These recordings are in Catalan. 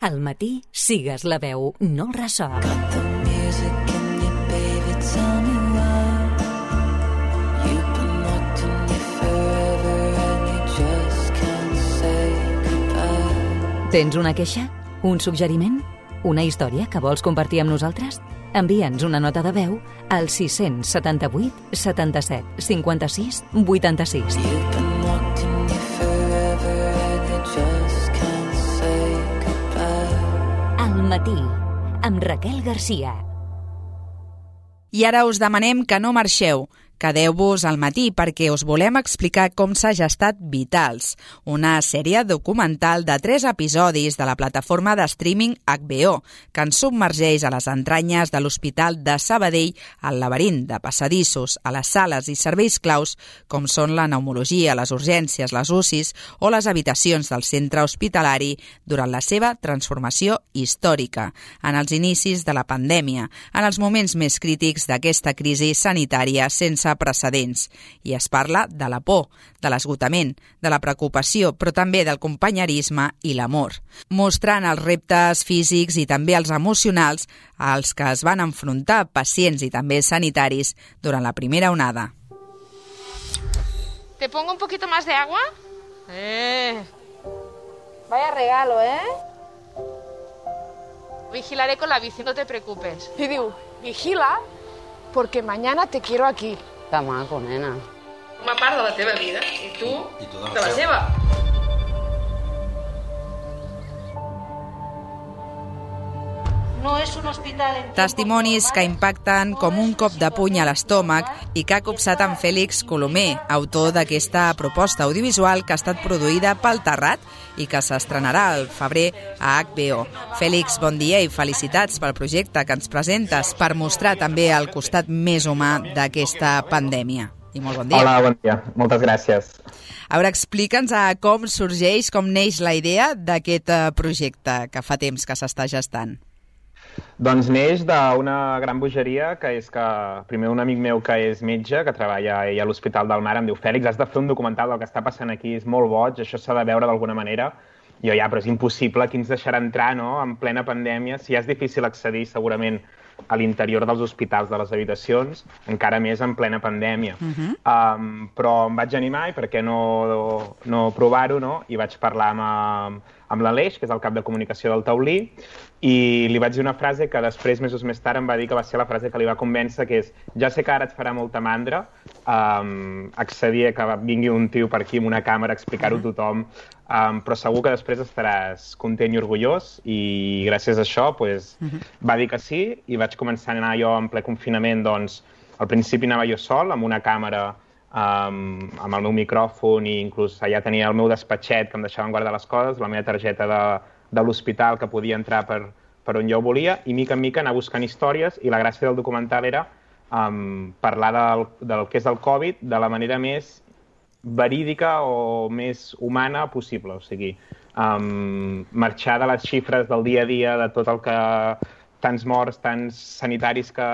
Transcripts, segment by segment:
Al matí, sigues la veu, no el ressò. Tens una queixa? Un suggeriment? Una història que vols compartir amb nosaltres? Envia'ns una nota de veu al 678 77 56 86. Al matí, amb Raquel Garcia. I ara us demanem que no marxeu. Quedeu-vos al matí perquè us volem explicar com s'ha gestat Vitals, una sèrie documental de 3 episodis de la plataforma de streaming HBO, que ens submergeix a les entranyes de l'Hospital de Sabadell, al laberint de passadissos, a les sales i serveis claus, com són la pneumologia, les urgències, les UCIs o les habitacions del centre hospitalari durant la seva transformació històrica, en els inicis de la pandèmia, en els moments més crítics d'aquesta crisi sanitària sense precedents. I es parla de la por, de l'esgotament, de la preocupació, però també del companyerisme i l'amor, mostrant els reptes físics i també els emocionals als que es van enfrontar pacients i també sanitaris durant la primera onada. ¿Te pongo un poquito más de agua? Vaya regalo, Vigilaré con la bici, no te preocupes. I diu, vigila, porque mañana te quiero aquí. Que maco, nena. Una part de la teva vida i tu de la seva. No és un hospital en... Testimonis que impacten com un cop de puny a l'estómac i que ha copsat en Fèlix Colomer, autor d'aquesta proposta audiovisual que ha estat produïda pel Terrat i que s'estrenarà al febrer a HBO. Fèlix, bon dia i felicitats pel projecte que ens presentes per mostrar també el costat més humà d'aquesta pandèmia. I molt bon dia. Hola, bon dia. Moltes gràcies. A veure, explica'ns com sorgeix, com neix la idea d'aquest projecte que fa temps que s'està gestant. Doncs neix d'una gran bogeria, que és que primer un amic meu que és metge, que treballa a l'Hospital del Mar, em diu: Fèlix, has de fer un documental del que està passant aquí, és molt boig, això s'ha de veure d'alguna manera. I jo, però és impossible, qui ens deixarà entrar, no?, en plena pandèmia, si ja és difícil accedir segurament a l'interior dels hospitals, de les habitacions, encara més en plena pandèmia. Però em vaig animar, i per què no provar-ho, no? I vaig parlar amb l'Aleix, que és el cap de comunicació del Taulí, i li vaig dir una frase que després, mesos més tard, em va dir que va ser la frase que li va convèncer, que és: ja sé que ara et farà molta mandra accedir a que vingui un tio per aquí amb una càmera a explicar-ho a tothom, però segur que després estaràs content i orgullós, i gràcies a això va dir que sí, i vaig començar a anar jo en ple confinament. Doncs al principi anava jo sol, amb una càmera, amb el meu micròfon, i inclús allà tenia el meu despatxet que em deixaven guardar les coses, la meva targeta de l'hospital que podia entrar per on jo volia, i mica en mica anar buscant històries, i la gràcia del documental era parlar del que és el Covid de la manera més verídica o més humana possible, o sigui, marxar de les xifres del dia a dia, de tot el que... tants morts, tants sanitaris que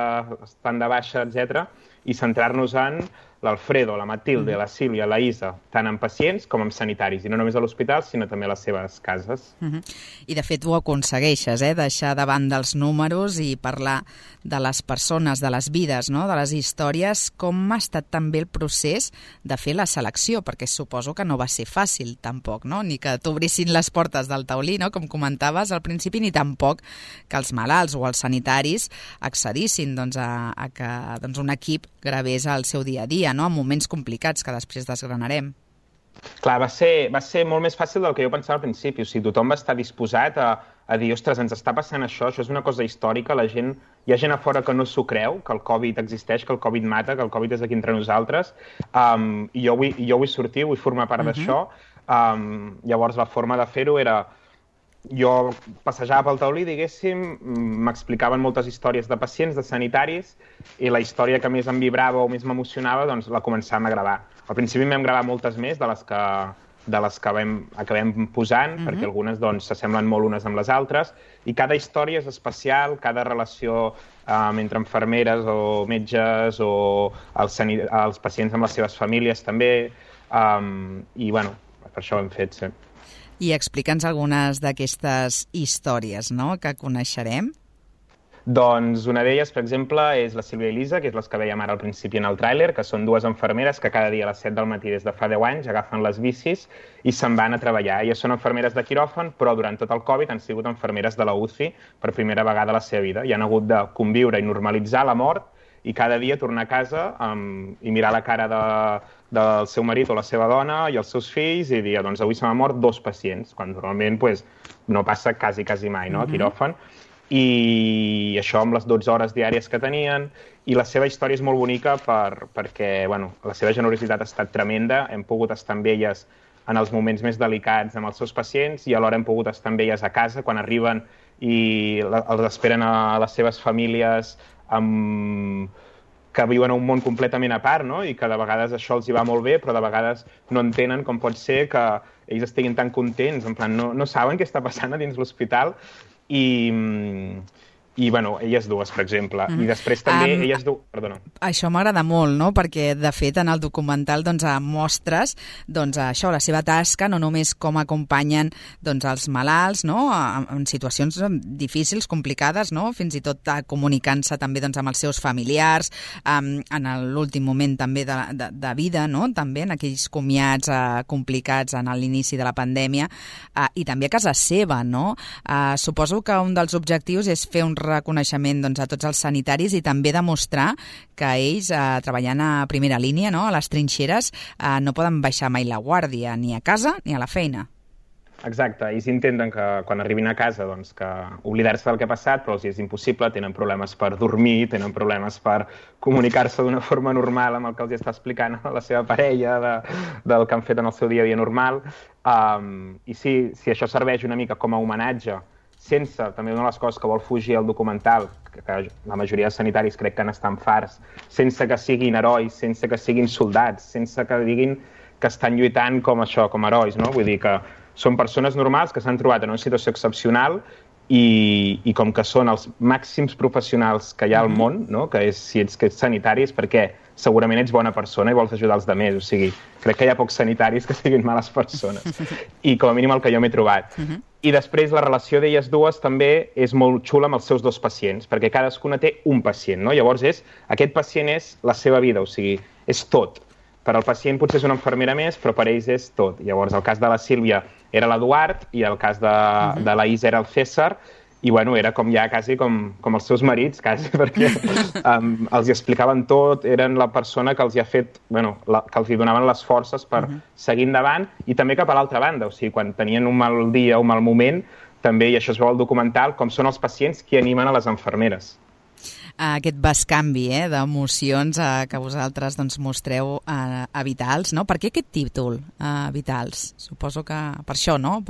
estan de baixa, etc., i centrar-nos en l'Alfredo, la Matilde, la Sílvia, la Isa, tant en pacients com en sanitaris, i no només a l'hospital, sinó també a les seves cases. I de fet ho aconsegueixes, deixar de banda els números i parlar de les persones, de les vides, no?, de les històries. Com ha estat també el procés de fer la selecció? Perquè suposo que no va ser fàcil tampoc, no?, ni que t'obrissin les portes del taulí, no?, com comentaves al principi, ni tampoc que els malalts o els sanitaris accedissin a que un equip gravés el seu dia a dia, no?, en moments complicats que després desgranarem. Clar, va ser molt més fàcil del que jo pensava al principi. O sigui, tothom va estar disposat a dir: ostres, ens està passant això és una cosa històrica, hi ha gent a fora que no s'ho creu, que el Covid existeix, que el Covid mata, que el Covid és aquí entre nosaltres, i jo vull sortir, vull formar part d'això. Llavors la forma de fer-ho era... Jo passejava pel taulí, diguéssim, m'explicaven moltes històries de pacients, de sanitaris, i la història que més em vibrava o més m'emocionava, doncs la començàvem a gravar. Al principi vam gravar moltes més de les que acabem posant, perquè algunes s'assemblen molt unes amb les altres, i cada història és especial, cada relació entre infermeres o metges o els pacients amb les seves famílies també, i bueno, per això ho hem fet, sí. i explica'ns algunes d'aquestes històries, no?, que coneixerem. Doncs una d'elles, per exemple, és la Sílvia i Lisa, que és les que veiem ara al principi en el tràiler, que són dues infermeres que cada dia a les 7 del matí des de fa 10 anys agafen les bicis i se'n van a treballar. Elles són infermeres de quiròfan, però durant tot el Covid han sigut infermeres de la UCI per primera vegada a la seva vida i han hagut de conviure i normalitzar la mort i cada dia tornar a casa i mirar la cara del seu marit o la seva dona i els seus fills i dir, doncs avui se m'han mort 2 pacients, quan normalment no passa quasi mai, no?, a quiròfan. I això amb les 12 hores diàries que tenien, i la seva història és molt bonica perquè la seva generositat ha estat tremenda, hem pogut estar amb elles en els moments més delicats amb els seus pacients i alhora hem pogut estar amb elles a casa quan arriben i els esperen a les seves famílies que viuen en un món completament a part, no? I que de vegades això els hi va molt bé, però de vegades no entenen com pot ser que ells estiguin tan contents, en plan, no saben què està passant a dins l'hospital. I elles dues, per exemple. I després també elles dues... Perdona. Això m'agrada molt, no?, perquè, de fet, en el documental mostres això, la seva tasca, no només com acompanyen els malalts, no?, en situacions difícils, complicades, no?, fins i tot comunicant-se també amb els seus familiars, en l'últim moment també de vida, no?, també en aquells comiats complicats en l'inici de la pandèmia, i també a casa seva, no? Suposo que un dels objectius és fer un reconeixement a tots els sanitaris i també demostrar que ells, treballant a primera línia, no?, a les trinxeres, no poden baixar mai la guàrdia, ni a casa ni a la feina. Exacte, ells intenten que quan arribin a casa que oblidar-se del que ha passat, però els és impossible, tenen problemes per dormir, tenen problemes per comunicar-se d'una forma normal amb el que els està explicant la seva parella, del que han fet en el seu dia a dia normal. I si això serveix una mica com a homenatge, sense, també una de les coses que vol fugir el documental, que la majoria de sanitaris crec que n'estan farts, sense que siguin herois, sense que siguin soldats, sense que diguin que estan lluitant com herois, no? Vull dir que són persones normals que s'han trobat en una situació excepcional i com que són els màxims professionals que hi ha al món, no?, que és, si ets sanitari és perquè segurament ets bona persona i vols ajudar els altres, o sigui, crec que hi ha pocs sanitaris que siguin males persones, i com a mínim el que jo m'he trobat. I després la relació d'elles dues també és molt xula amb els seus 2 pacients, perquè cadascuna té un pacient, no? Llavors aquest pacient és la seva vida, o sigui, és tot. Per al pacient potser és una infermera més, però per ells és tot. Llavors el cas de la Sílvia era l'Eduard i el cas de la Isa era el César, i era quasi com els seus marits, quasi, perquè els hi explicaven tot, eren la persona que els hi ha fet, que els hi donaven les forces per seguir endavant, i també cap a l'altra banda, o sigui, quan tenien un mal dia o un mal moment, també, i això es veu al documental, com són els pacients qui animen a les infermeres. Aquest bescanvi d'emocions que vosaltres mostreu a Vitals, no? Per què aquest títol, Vitals? Suposo que per això, no?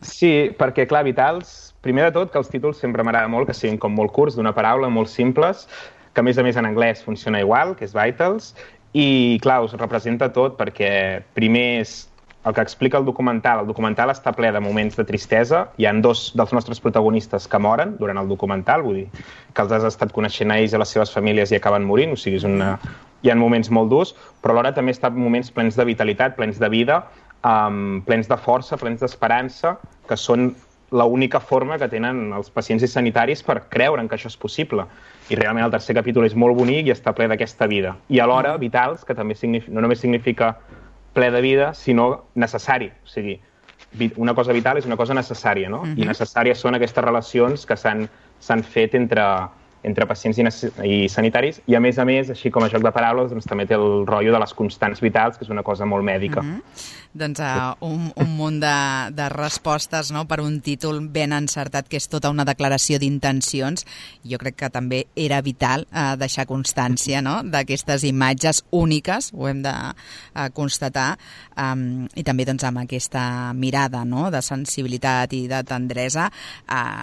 Sí, perquè, clar, Vitals, primer de tot, que els títols sempre m'agrada molt, que siguin com molt curts, d'una paraula, molt simples, que a més en anglès funciona igual, que és Vitals, i, clar, us representa tot, perquè primer és el que explica el documental està ple de moments de tristesa. Hi ha 2 dels nostres protagonistes que moren durant el documental, vull dir que els has estat coneixent a ells i a les seves famílies i acaben morint, o sigui, hi ha moments molt durs, però alhora també està moments plens de vitalitat, plens de vida, plens de força, plens d'esperança, que són l'única forma que tenen els pacients i sanitaris per creure que això és possible. I realment el tercer capítol és molt bonic i està ple d'aquesta vida. I alhora Vitals, que també no només significa ple de vida, sinó necessari. O sigui, una cosa vital és una cosa necessària, no? I necessàries són aquestes relacions que s'han fet entre pacients i sanitaris, i a més, així com a joc de paraules, també té el rotllo de les constants vitals, que és una cosa molt mèdica. Doncs un munt de respostes, no?, per un títol ben encertat, que és tota una declaració d'intencions. Jo crec que també era vital deixar constància, no?, d'aquestes imatges úniques, ho hem de constatar, i també amb aquesta mirada, no?, de sensibilitat i de tendresa,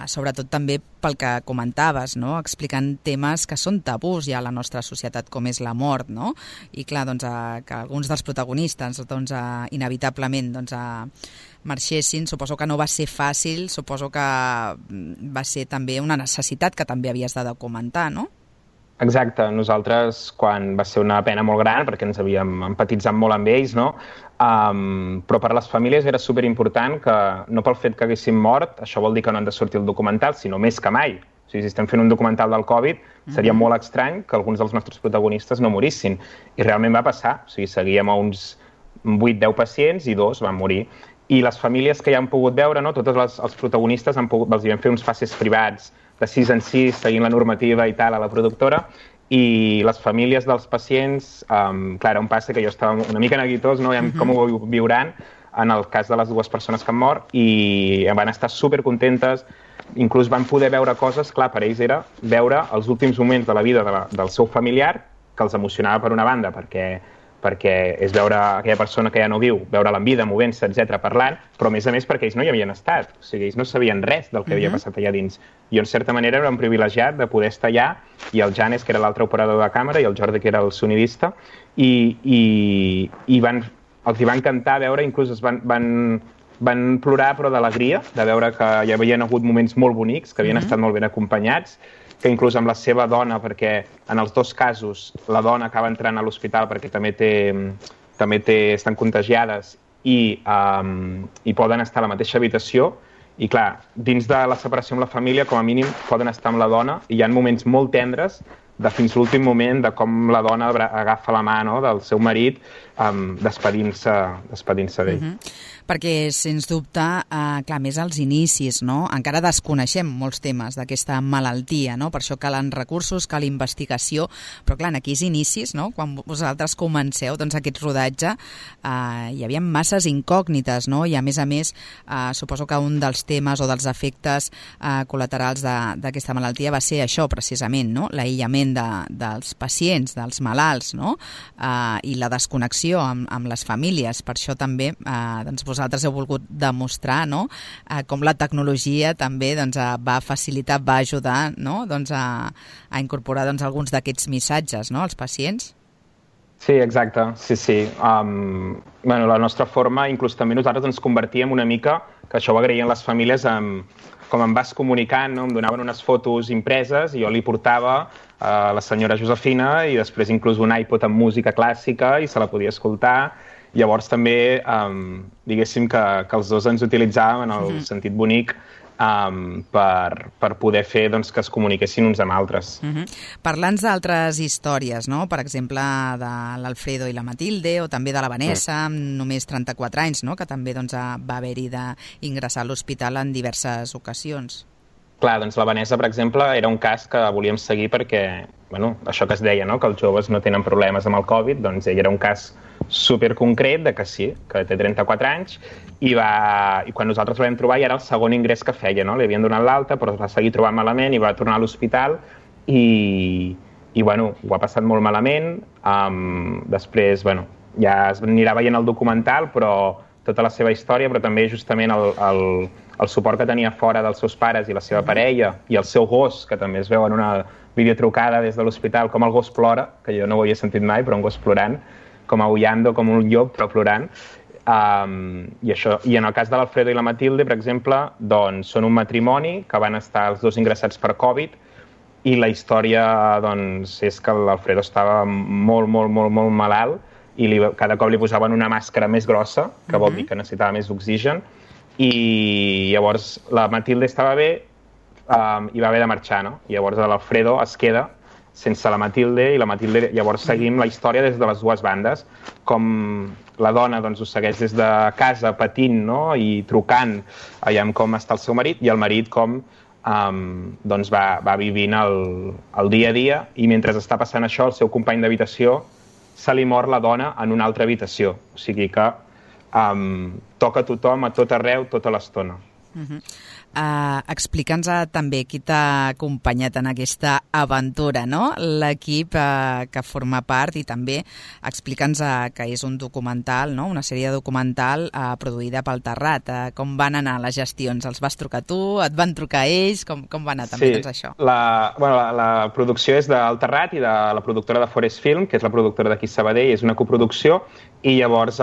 sobretot també pel que comentaves, no?, explicant temes que són tabús ja a la nostra societat, com és la mort, no?, i clar, que alguns dels protagonistes inevitablement marxessin, suposo que no va ser fàcil, suposo que va ser també una necessitat que també havies de documentar, no? Exacte, nosaltres quan va ser una pena molt gran perquè ens havíem empatitzat molt amb ells, no? Però per a les famílies era superimportant que no pel fet que haguessin mort, això vol dir que no han de sortir al documental, sinó més que mai. O sigui, si estem fent un documental del Covid, seria molt estrany que alguns dels nostres protagonistes no morissin. I realment va passar. O sigui, seguíem a uns 8-10 pacients i 2 van morir. I les famílies que ja han pogut veure, no? Tots els protagonistes els vam fer uns fases privats de 6 en 6, seguint la normativa i tal, a la productora, i les famílies dels pacients, clar, era un passe que jo estava una mica neguitós, no? Com ho viuran en el cas de les 2 persones que han mort, i van estar supercontentes, inclús van poder veure coses, clar, per ells era veure els últims moments de la vida del seu familiar, que els emocionava per una banda, perquè és veure aquella persona que ja no viu, veure-la en vida, movent-se, etc, parlant, però a més perquè ells no hi havien estat, o sigui, ells no sabien res del que havia passat allà dins. I en certa manera era un privilegiat de poder estar allà, i el Janes, que era l'altre operador de càmera, i el Jordi, que era el sonidista, i els hi va encantar veure, inclús van plorar, però d'alegria, de veure que hi havien hagut moments molt bonics, que havien estat molt ben acompanyats, que inclús amb la seva dona, perquè en els 2 casos la dona acaba entrant a l'hospital perquè també estan contagiades i poden estar a la mateixa habitació, i clar, dins de la separació amb la família, com a mínim poden estar amb la dona, i hi ha moments molt tendres de fins l'últim moment de com la dona agafa la mà, no?, del seu marit, despedint-se d'ell. Perquè, sens dubte, clar, més als inicis, no? Encara desconeixem molts temes d'aquesta malaltia, no? Per això calen recursos, cal investigació, però clar, en aquells inicis, no?, quan vosaltres comenceu doncs, aquest rodatge, hi havia masses incògnites, no? I a més, suposo que un dels temes o dels efectes col·laterals d'aquesta malaltia va ser això, precisament, no?, l'aïllament dels pacients, dels malalts, no?, i la desconnexió amb les famílies. Per això també doncs, vosaltres heu volgut demostrar, no?, com la tecnologia també doncs, va facilitar, va ajudar, no?, doncs, a incorporar doncs, alguns d'aquests missatges, no?, als pacients. Sí, exacte, sí. La nostra forma, inclús també nosaltres ens convertíem una mica, que això ho agraïen les famílies, com em vas comunicant, no? Em donaven unes fotos impreses i jo li portava a la senyora Josefina i després inclús un iPod amb música clàssica i se la podia escoltar. Llavors també, diguéssim que els 2 ens utilitzàvem en el sentit bonic per poder fer doncs, que es comuniquessin uns amb altres. Parlant d'altres històries, no? Per exemple, de l'Alfredo i la Matilde, o també de la Vanessa, amb només 34 anys, no? Que també doncs, va haver-hi d'ingressar a l'hospital en diverses ocasions. Clar, doncs la Vanessa, per exemple, era un cas que volíem seguir perquè, això que es deia, no? Que els joves no tenen problemes amb el Covid, doncs ell era un cas superconcret de que sí, que té 34 anys, i quan nosaltres la vam trobar ja era el segon ingrés que feia, no? Li havien donat l'alta, però es va seguir trobant malament i va tornar a l'hospital i ho ha passat molt malament. Després, ja es anirà veient el documental, però tota la seva història, però també justament el suport que tenia fora dels seus pares i la seva parella i el seu gos, que també es veu en una videotrucada des de l'hospital, com el gos plora, que jo no ho havia sentit mai, però un gos plorant, com aullando, com un llop, però plorant. I en el cas de l'Alfredo i la Matilde, per exemple, doncs, són un matrimoni que van estar els 2 ingressats per Covid i la història doncs, és que l'Alfredo estava molt malalt i cada cop li posaven una màscara més grossa, que vol dir que necessitava més oxigen, i llavors la Matilde estava bé i va haver de marxar, no? I llavors l'Alfredo es queda sense la Matilde, i la Matilde llavors seguim la història des de les 2 bandes, com la dona doncs, ho segueix des de casa patint, no? I trucant allà com està el seu marit, i el marit com doncs va vivint el dia a dia, i mentre està passant això, el seu company d'habitació se li mor la dona en una altra habitació. O sigui que toca a tothom, a tot arreu, tota l'estona. Explica'ns també qui t'ha acompanyat en aquesta aventura, no? L'equip que forma part, i també explica'ns que és un documental, no? Una sèrie documental produïda pel Terrat. Com van anar les gestions? Els vas trucar tu? Et van trucar ells? Com va anar també doncs, això? La producció és del Terrat i de la productora de Forest Film, que és la productora d'aquí Sabadell, és una coproducció, i llavors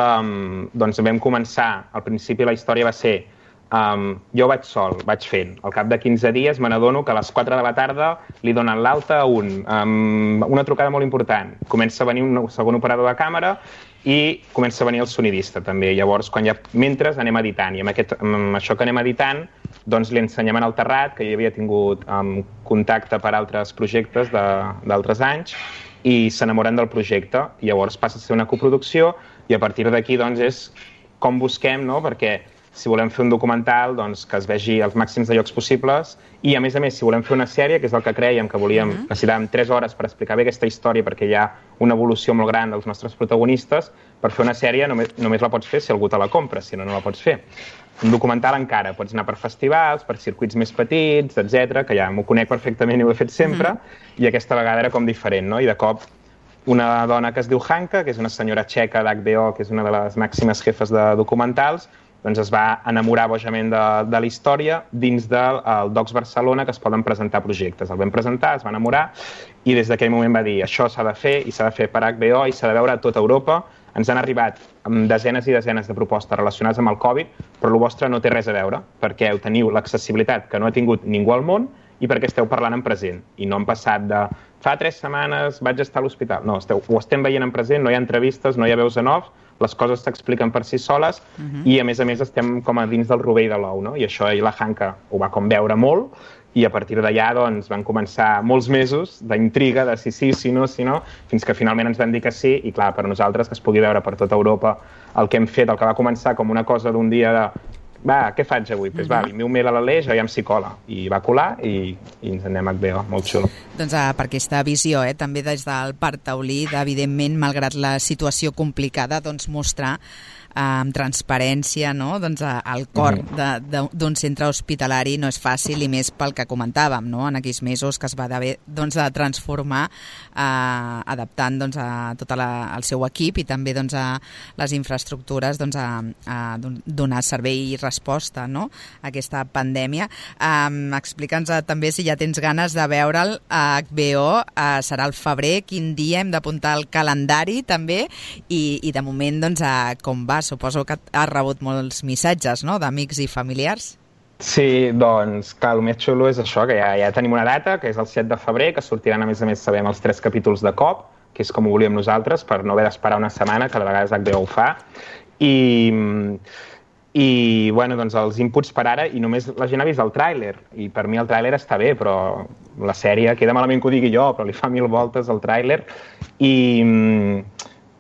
doncs vam començar, al principi la història va ser jo vaig sol, vaig fent. Al cap de 15 dies me n'adono que a les 4 de la tarda li donen l'alta a una trucada molt important. Comença a venir un segon operador de càmera i comença a venir el sonidista també. Llavors, mentre anem editant, i amb això que anem editant, doncs li ensenyem al Terrat, que ja havia tingut contacte per altres projectes d'altres anys, i s'enamoren del projecte. Llavors passa a ser una coproducció i a partir d'aquí doncs, és com busquem, no? Perquè si volem fer un documental, doncs, que es vegi als màxims de llocs possibles i, a més, si volem fer una sèrie, que és el que crèiem que necessitàvem 3 hores per explicar bé aquesta història perquè hi ha una evolució molt gran dels nostres protagonistes, per fer una sèrie només la pots fer si algú te la compra, si no la pots fer. Un documental encara, pots anar per festivals, per circuits més petits, etc, que ja m'ho conec perfectament i ho he fet sempre, i aquesta vegada era com diferent, no? I de cop una dona que es diu Hanka, que és una senyora txeca d'HBO, que és una de les màximes jefes de documentals, doncs es va enamorar bojament de la història dins del Docs Barcelona, que es poden presentar projectes. El vam presentar, es va enamorar, i des d'aquell moment va dir això s'ha de fer, i s'ha de fer per HBO, i s'ha de veure a tota Europa. Ens han arribat amb desenes i desenes de propostes relacionades amb el Covid, però el vostre no té res a veure, perquè teniu l'accessibilitat que no ha tingut ningú al món i perquè esteu parlant en present. I no han passat de fa 3 setmanes vaig estar a l'hospital. No, ho estem veient en present, no hi ha entrevistes, no hi ha veus en off, les coses s'expliquen per si soles i, a més, estem com a dins del rovell de l'ou, no? I això la Hanka ho va com veure molt i a partir d'allà doncs, van començar molts mesos d'intriga, de si sí, si no, fins que finalment ens van dir que sí i, clar, per nosaltres, que es pugui veure per tota Europa el que hem fet, el que va començar com una cosa d'un dia de va, què faig avui? Doncs va, el meu mail a l'Aleix, aviam si cola. I va colar i ens anem a HBO, molt xulo. Doncs per aquesta visió, també des del Parc Taulí, evidentment, malgrat la situació complicada, doncs mostrar amb transparència, no? Doncs el cor d'un centre hospitalari no és fàcil i més pel que comentàvem, no? En aquells mesos que es va haver doncs, de transformar adaptant doncs, a tot el seu equip i també doncs, a les infraestructures doncs, a donar servei i resposta, no? A aquesta pandèmia. Explica'ns també si ja tens ganes de veure'l a HBO, serà al febrer, quin dia hem d'apuntar al calendari també i de moment doncs, com va. Suposo que has rebut molts missatges, no?, d'amics i familiars. Sí, doncs, clar, el més xulo és això, que ja tenim una data, que és el 7 de febrer, que sortiran, a més, sabem, els 3 capítols de cop, que és com ho volíem nosaltres, per no haver d'esperar una setmana, que de vegades HBO ho fa. I bueno, doncs els inputs per ara, i només la gent ha vist el tràiler, i per mi el tràiler està bé, però la sèrie, queda malament que ho digui jo, però li fa 1000 voltes el tràiler,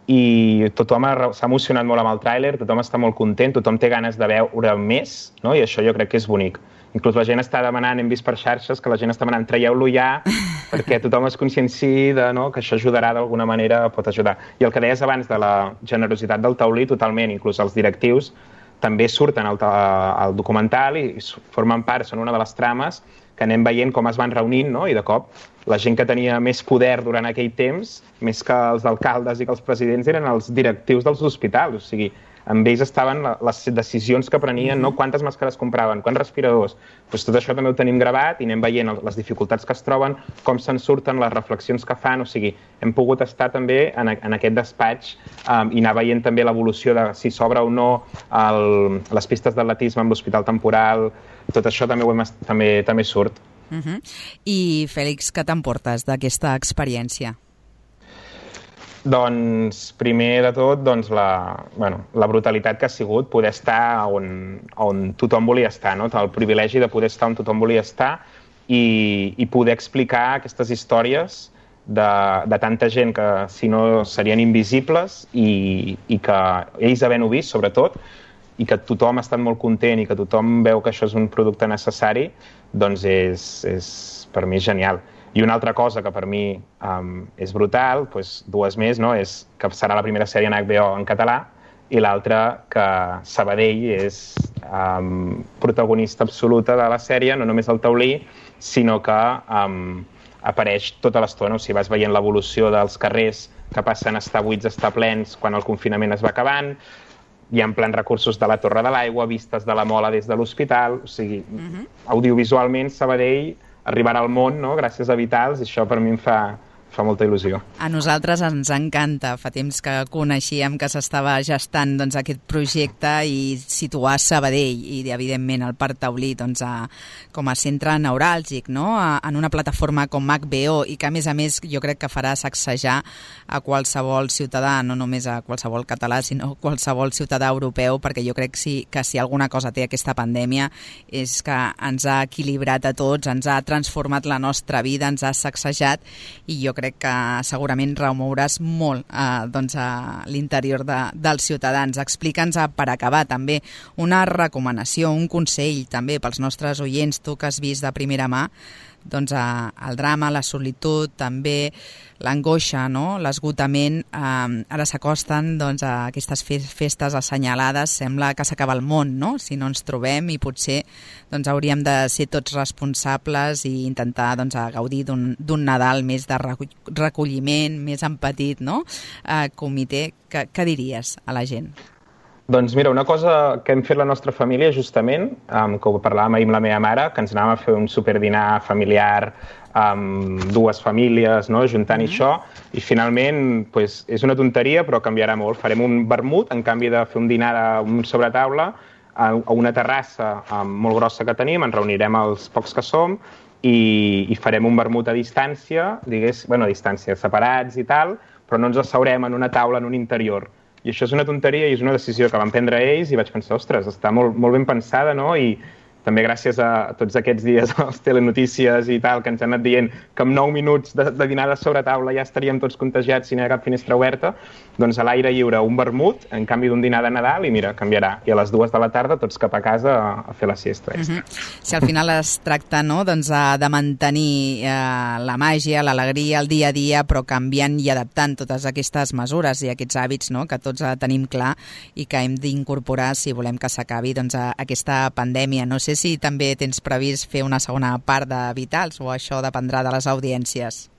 i tothom s'ha emocionat molt amb el tràiler, tothom està molt content, tothom té ganes de veure més, no? I això jo crec que és bonic. Inclús la gent està demanant, hem vist per xarxes, que la gent està demanant traieu-lo ja, perquè tothom es conscienciï que això ajudarà d'alguna manera, pot ajudar. I el que deies abans de la generositat del Taulí, totalment, inclús els directius, també surten al documental i formen part, són una de les trames que anem veient com es van reunint, no? I de cop la gent que tenia més poder durant aquell temps, més que els alcaldes i que els presidents, eren els directius dels hospitals. O sigui, amb ells estaven les decisions que prenien, no? Quantes màscares compraven, quants respiradors. Doncs tot això també ho tenim gravat i anem veient les dificultats que es troben, com se'n surten, les reflexions que fan. O sigui, hem pogut estar també en aquest despatx i anar veient també l'evolució de si s'obre o no les pistes d'atletisme amb l'hospital temporal. Tot això també surt. I, Fèlix, què t'emportes d'aquesta experiència? Doncs, primer de tot, la brutalitat que ha sigut poder estar on tothom volia estar, no? El privilegi de poder estar on tothom volia estar i poder explicar aquestes històries de tanta gent que, si no, serien invisibles i que ells havent-ho vist, sobretot, i que tothom ha estat molt content i que tothom veu que això és un producte necessari, doncs és per mi genial. I una altra cosa que per mi és brutal, doncs 2 més, no? És que serà la primera sèrie en HBO en català i l'altra que Sabadell és protagonista absoluta de la sèrie, no només el Taulí, sinó que apareix tota l'estona. O sigui, vas veient l'evolució dels carrers que passen a estar buits, a estar plens quan el confinament es va acabant. Hi ha plans recursos de la Torre de l'Aigua, vistes de la Mola des de l'hospital. O sigui, audiovisualment Sabadell arribarà al món, no? Gràcies a Vitals, i això per mi em fa fa molta il·lusió. A nosaltres ens encanta. Fa temps que coneixíem que s'estava gestant doncs, aquest projecte i situar Sabadell i, evidentment, el Parc Taulí doncs, com a centre neuràlgic, no? En una plataforma com HBO i que, a més, jo crec que farà sacsejar a qualsevol ciutadà, no només a qualsevol català, sinó a qualsevol ciutadà europeu, perquè jo crec que si alguna cosa té aquesta pandèmia és que ens ha equilibrat a tots, ens ha transformat la nostra vida, ens ha sacsejat i jo crec que segurament remouràs molt doncs, a l'interior dels ciutadans. Explica'ns, per acabar, també una recomanació, un consell també pels nostres oients, tu que has vist de primera mà doncs, el drama, la solitud, també l'angoixa, no? L'esgotament. Ara s'acosten doncs, a aquestes festes assenyalades, sembla que s'acaba el món, no? Si no ens trobem, i potser doncs, hauríem de ser tots responsables i intentar doncs, gaudir d'un Nadal més de recolliment, més en petit, no? Comitè, què diries a la gent? Doncs mira, una cosa que hem fet la nostra família justament, que ho parlàvem ahir amb la meva mare, que ens anàvem a fer un superdinar familiar amb dues famílies, no? Juntant això, i finalment pues, és una tonteria però canviarà molt. Farem un vermut en canvi de fer un dinar a un sobretaula a una terrassa molt grossa que tenim, ens reunirem els pocs que som i farem un vermut a distància, a distància, separats i tal, però no ens asseurem en una taula en un interior. I això és una tonteria i és una decisió que van prendre ells i vaig pensar, ostres, està molt ben pensada, no? I també gràcies a tots aquests dies a les telenotícies i tal, que ens han anat dient que en 9 minuts de dinar de sobretaula ja estaríem tots contagiats si no hi ha cap finestra oberta, doncs a l'aire lliure un vermut, en canvi d'un dinar de Nadal, i mira, canviarà. I a les 2 de la tarda tots cap a casa a fer la siesta. Si al final es tracta, no, doncs, de mantenir la màgia, l'alegria, el dia a dia, però canviant i adaptant totes aquestes mesures i aquests hàbits, no, que tots tenim clar i que hem d'incorporar si volem que s'acabi doncs, aquesta pandèmia. No sé si també tens previst fer una segona part de Vitals o això dependrà de les audiències.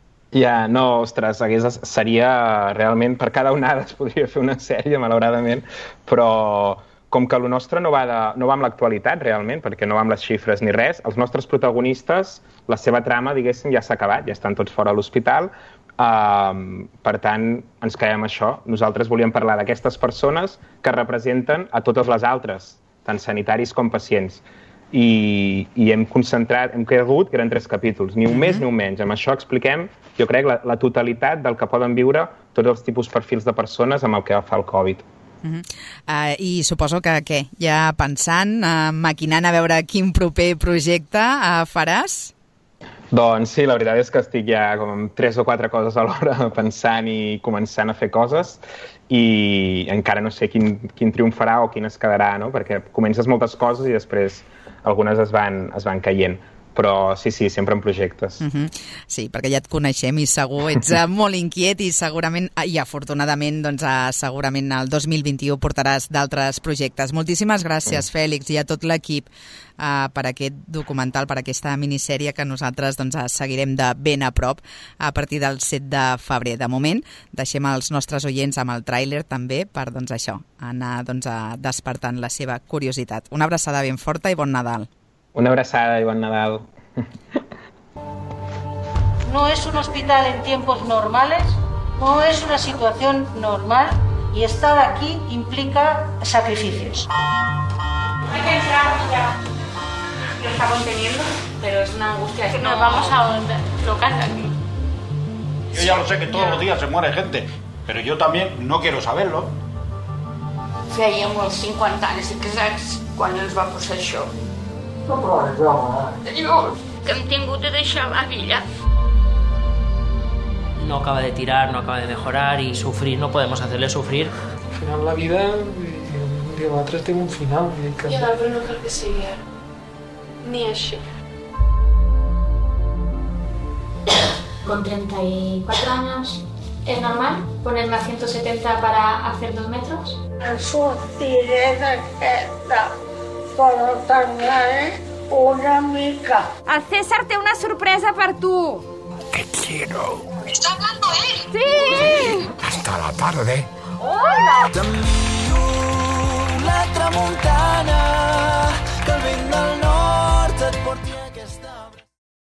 No, ostres, seria realment, per cada onada es podria fer una sèrie, malauradament, però com que el nostre no va amb l'actualitat realment, perquè no va amb les xifres ni res, els nostres protagonistes, la seva trama, diguéssim, ja s'ha acabat, ja estan tots fora a l'hospital, per tant, ens quedem això. Nosaltres volíem parlar d'aquestes persones que representen a totes les altres, tant sanitaris com pacients. I hem cregut que eren 3 capítols, ni un més ni un menys. Amb això expliquem, jo crec, la totalitat del que poden viure tots els tipus perfils de persones amb el que fa el Covid. I suposo que, ja pensant, maquinant a veure quin proper projecte faràs? Doncs sí, la veritat és que estic ja com amb 3 o 4 coses alhora pensant i començant a fer coses i encara no sé quin triomfarà o quin es quedarà, no? Perquè comences moltes coses i després algunes es van caient. Però sí, sempre en projectes. Sí, perquè ja et coneixem i segur ets molt inquiet i segurament, i afortunadament, doncs segurament el 2021 portaràs d'altres projectes. Moltíssimes gràcies, Fèlix, i a tot l'equip per aquest documental, per aquesta minissèrie que nosaltres doncs, seguirem de ben a prop a partir del 7 de febrer. De moment, deixem els nostres oients amb el tràiler també per doncs, això, anar despertant la seva curiositat. Una abraçada ben forta i bon Nadal. Una abraçada y buen Nadal. No es un hospital en tiempos normales, no es una situación normal y estar aquí implica sacrificios. Hay que entrar ya. Lo está conteniendo, pero es una angustia. Que nos vamos a locar aquí. Yo ya lo sé que todos los días se muere gente, pero yo también no quiero saberlo. Fèiem els 50 anys exacts quan ens va passar això. Dios, que hem tingut de deixar la villa. No acaba de tirar, no acaba de mejorar y sufrir, no podemos hacerle sufrir. Al final la vida, nosaltres tenim un final. I l'altre no cal que sigui ni així. Con 34 años, ¿es normal ponerme a 170 para hacer 2 metros? Sortiré d'aquesta, però tardaré una mica. El César té una sorpresa per tu. Te quiero. ¿Está hablando él? Sí. Hasta la tarde. Hola. La tramuntana.